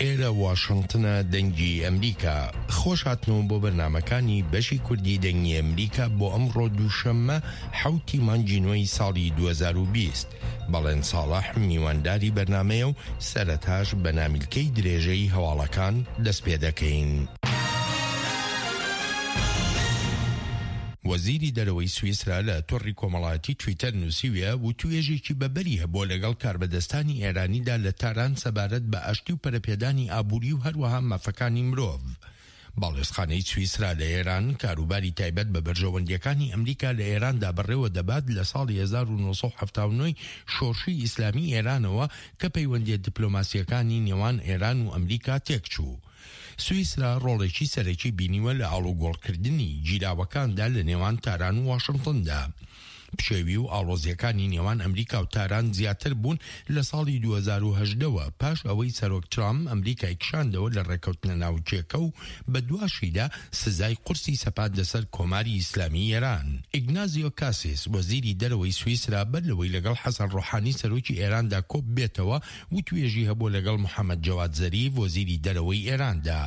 ئێرە واشنتنە دەنگی ئەمریکا. خۆش هاتنەوە بۆ بەرنامەکانی بەشی کوردی دەنگی ئەمریکا بۆ ئەمڕۆ دووشەممە حەوتی مانگی نۆی ساڵی 2020. بەڵێن ساڵح میوانداری بەرنامەیە و سەرەتاش بە نامیلکەی درێژەی هەواڵەکان دەست پێ دەکەین. وەزیری دەرەوەی سویسرا لە تۆڕی کۆمەڵایەتی تویتەر نووسیویە، وتوێژێکی بەبەری هەبووە لەگەڵ کاربەدەستانی ئێرانیدا لە تاران سەبارەت بە ئاشتی و پەرەپێدانی ئابووری و هەروەها مافەکانی مرۆڤ. باڵیۆزخانەی سویسرا لە ئێران کاروباری تایبەت بە بەرژەوەندییەکانی ئەمریکا لە ئێراندا بەڕێوە دەبات لە ساڵی 1979 ی شۆڕشی ئیسلامی ئێرانەوە کە پەیوەندییە دیپلۆماسییەکانی نێوان ئێران و ئەمریکا تێکچوو. سویسرا ڕۆڵێکی سەرەکی بینیوە لە ئاڵوگۆڕکردنی گیراوەکاندا لە نێوان تاران و واشنتندا. پشێوی و ئاڵۆزییەکانی نێوان ئەمریکا و تاران زیاتر بوون لە ساڵی 2018 وە پاش ئەوەی سەرۆک ترامپ ئەمریکای کشاندەوە لە ڕێککەوتنە ناوکییەکە و بەدواشیدا سزای قورسی سەپاندە سەر کۆماری ئیسلامی ئێران. ئیگنازیۆ کاسیس وەزیری دەرەوەی سویسرا بەر لەوەی لەگەڵ حەسەن ڕۆحانی سەرۆکی ئێراندا کۆببێتەوە وتوێژی هەبووە لەگەڵ محەمەد جەواد زەریف وەزیری دەرەوەی ئێراندا.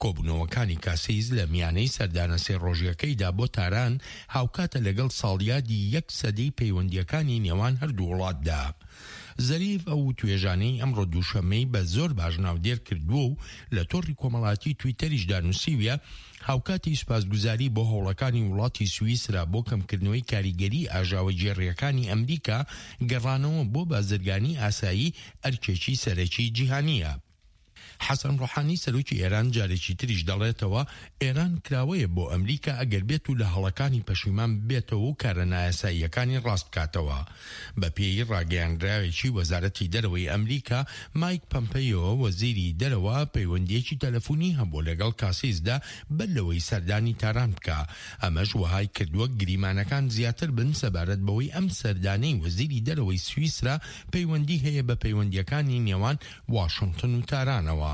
کۆبوونەوەکانی کاسیس لە میانەی سەردانە سێ ڕۆژیەکەیدا بۆ تاران هاوکاتە لەگەڵ ساڵیادی یەک سەدەی پەیوەندییەکانی نێوان هەردوو وڵاتدا. زەریف ئەو وتوێژانەی ئەمڕۆ دووشەممەی بە زۆر باش ناودێر کردووە و لە تۆڕی کۆمەڵایەتی تویتەریشدا نووسیویە، هاوکاتی سوپاسگوزاری بۆ هەوڵەکانی وڵاتی سویسرا بۆ کەمکردنەوەی کاریگەری ئاژاوەگێڕییەکانی ئەمریکا، گەڕانەوە بۆ بازرگانی ئاسایی ئەرکێکی سەرەکی جیهانییە. حەسەن ڕۆحانی سەرۆکی ئێران جارێکی تریش دەڵێتەوە، ئێران کراوەیە بۆ ئەمریکا ئەگەر بێت و لە هەڵەکانی پەشیمان ببێتەوە و کارە نایاساییەکانی ڕاست بکاتەوە. بە پێی ڕاگەیاندراوێکی وەزارەتی دەرەوەی ئەمریکا، مایک پەمپەیۆ وەزیری دەرەوە پەیوەندییەکی تەلەفونی هەبووە لەگەڵ کاسیسدا بەر لەوەی سەردانی تاران بکا، ئەمەش وەهای کردووە گریمانەکان زیاتر بن سەبارەت بەوەی ئەم سەردانەی وەزیری دەرەوەی سویسرا پەیوەندی هەیە بە پەیوەندییەکانی نێوان واشنتن و تارانەوە.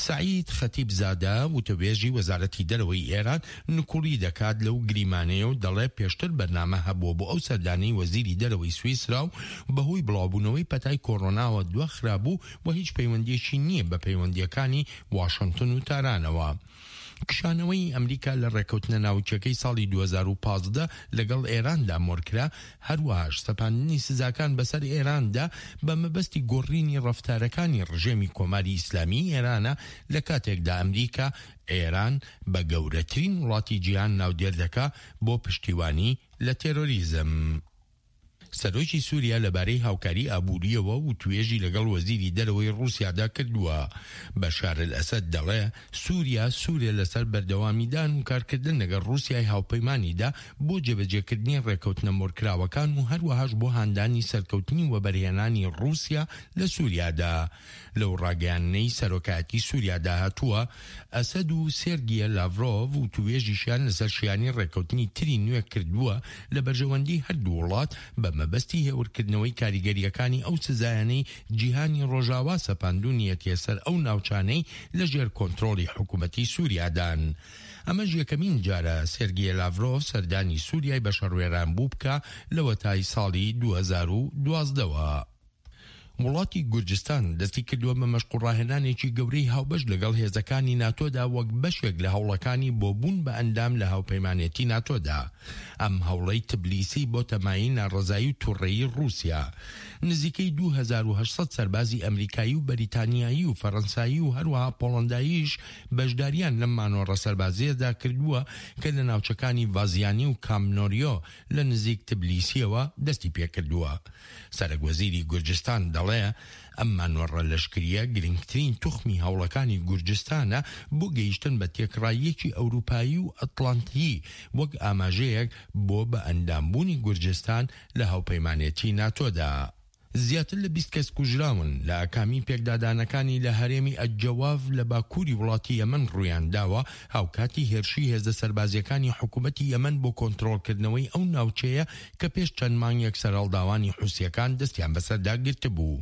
سەعید خەتیب زادە، وتەبێژی وەزارەتی دەرەوەی ئێران نکوڵی دەکات لەو گریمانەیە و دەڵێ پێشتر بەرنامە هەبووە بۆ ئەو سەردانەی وەزیری دەرەوەی سویسرا و بەهۆی بڵاوبوونەوەی پەتای کۆرۆناوە دواخرابوو و هیچ پەیوەندییەکی نییە بە پەیوەندییەکانی واشنتن و تارانەوە. کشانەوەی ئەمریکا لە ڕێککەوتنە ناوکیەکەی ساڵی 2015 لەگەڵ ئێراندا مۆرکرا، هەروەهاش سەپاندنی سزاکان بەسەر ئێراندا بە مەبەستی گۆڕینی ڕەفتارەکانی ڕژێمی کۆماری ئیسلامیی ئێرانە، لە کاتێکدا ئەمریکا ئێران بە گەورەترین وڵاتی جیهان ناودێر دەکا بۆ پشتیوانی لە تێرۆریزم. سەرۆکی سووریا لەبارەی هاوکاری ئابوورییەوە وتوێژی لەگەڵ وەزیری دەرەوەی ڕووسیادا کردووە. بەشار ئەلئەسەد دەڵێ، سووریا سوورە لەسەر بەردەوامیدان و کارکردن لەگەڵ ڕووسیای هاوپەیمانیدا بۆ جێبەجێکردنی ڕێککەوتنە مۆرکراوەکان و هەروەهاش بۆ هاندانی سەرکەوتنی وەبەرهێنانی ڕووسیا لە سووریادا. لەو ڕاگەیاندنەی سەرۆکایەتی سووریادا هاتووە، ئەسەد و سێرگیە لاڤرۆڤ وتووێژیشیان لەسەر شیانی ڕێککەوتنی تری نوێ کردووە لە بەرژەوەندی هەردوو وڵات بە مەبەستی هێورکردنەوەی کاریگەرییەکانی ئەو سزایانەی جیهانی ڕۆژاوا سەپاندوونیەتیە سەر ئەو ناوچانەی لە ژێر کۆنترۆڵی حکومەتی سووریادان. ئەمەش یەکەمین جارە سێرگیە لاڤرۆڤ سەردانی سووریای بە شەڕوێرانبوو بکا لەوەتای ساڵی 2012 وە. وڵاتی گورجستان دەستی کردووە بە مەشق و ڕاهێنانێکی گەورەی هاوبەش لەگەڵ هێزەکانی ناتۆدا وەک بەشێک لە هەوڵەکانی بۆ بوون بە ئەندام لە هاوپەیمانێتی ناتۆدا. ئەم هەوڵەی تبلیسی بۆتە مایەی ناڕەزایی و توڕەیی ڕووسیا. نزیکەی 2800 سەربازی ئەمریکایی و بەریتانیایی و فەرەنسایی و هەروەها پۆڵەنداییش بەشداریان لەم مانۆڕە سەربازییەدا کردووە کە لە ناوچەکانی ڤازیانی و کامنۆریۆ لە نزیک تبلیسییەوە دەستی پێکردووە. سەرەک وەزیری گورجستان دەڵێ، ئەم مانۆڕە لەشکرییە گرنگترین توخمی هەوڵەکانی گورجستانە بۆ گەیشتن بە تێکڕاییەکی ئەوروپایی و ئەتڵانتیی وەک ئاماژەیەک بۆ بە ئەندامبوونی گورجستان لە هاوپەیمانێتی ناتۆدا. زیاتر لە 20 کەس کوژراون لە ئاکامی پێکدادانەکانی لە هەرێمی ئەلجەواف لە باکووری وڵاتی یەمەن ڕوویانداوە، هاوکاتی هێرشی هێزە سەربازییەکانی حکومەتی یەمەن بۆ کۆنترۆڵکردنەوەی ئەو ناوچەیە کە پێش چەند مانگێک سەرهەڵداوانی حوسییەکان دەستیان بەسەردا گرتبوو.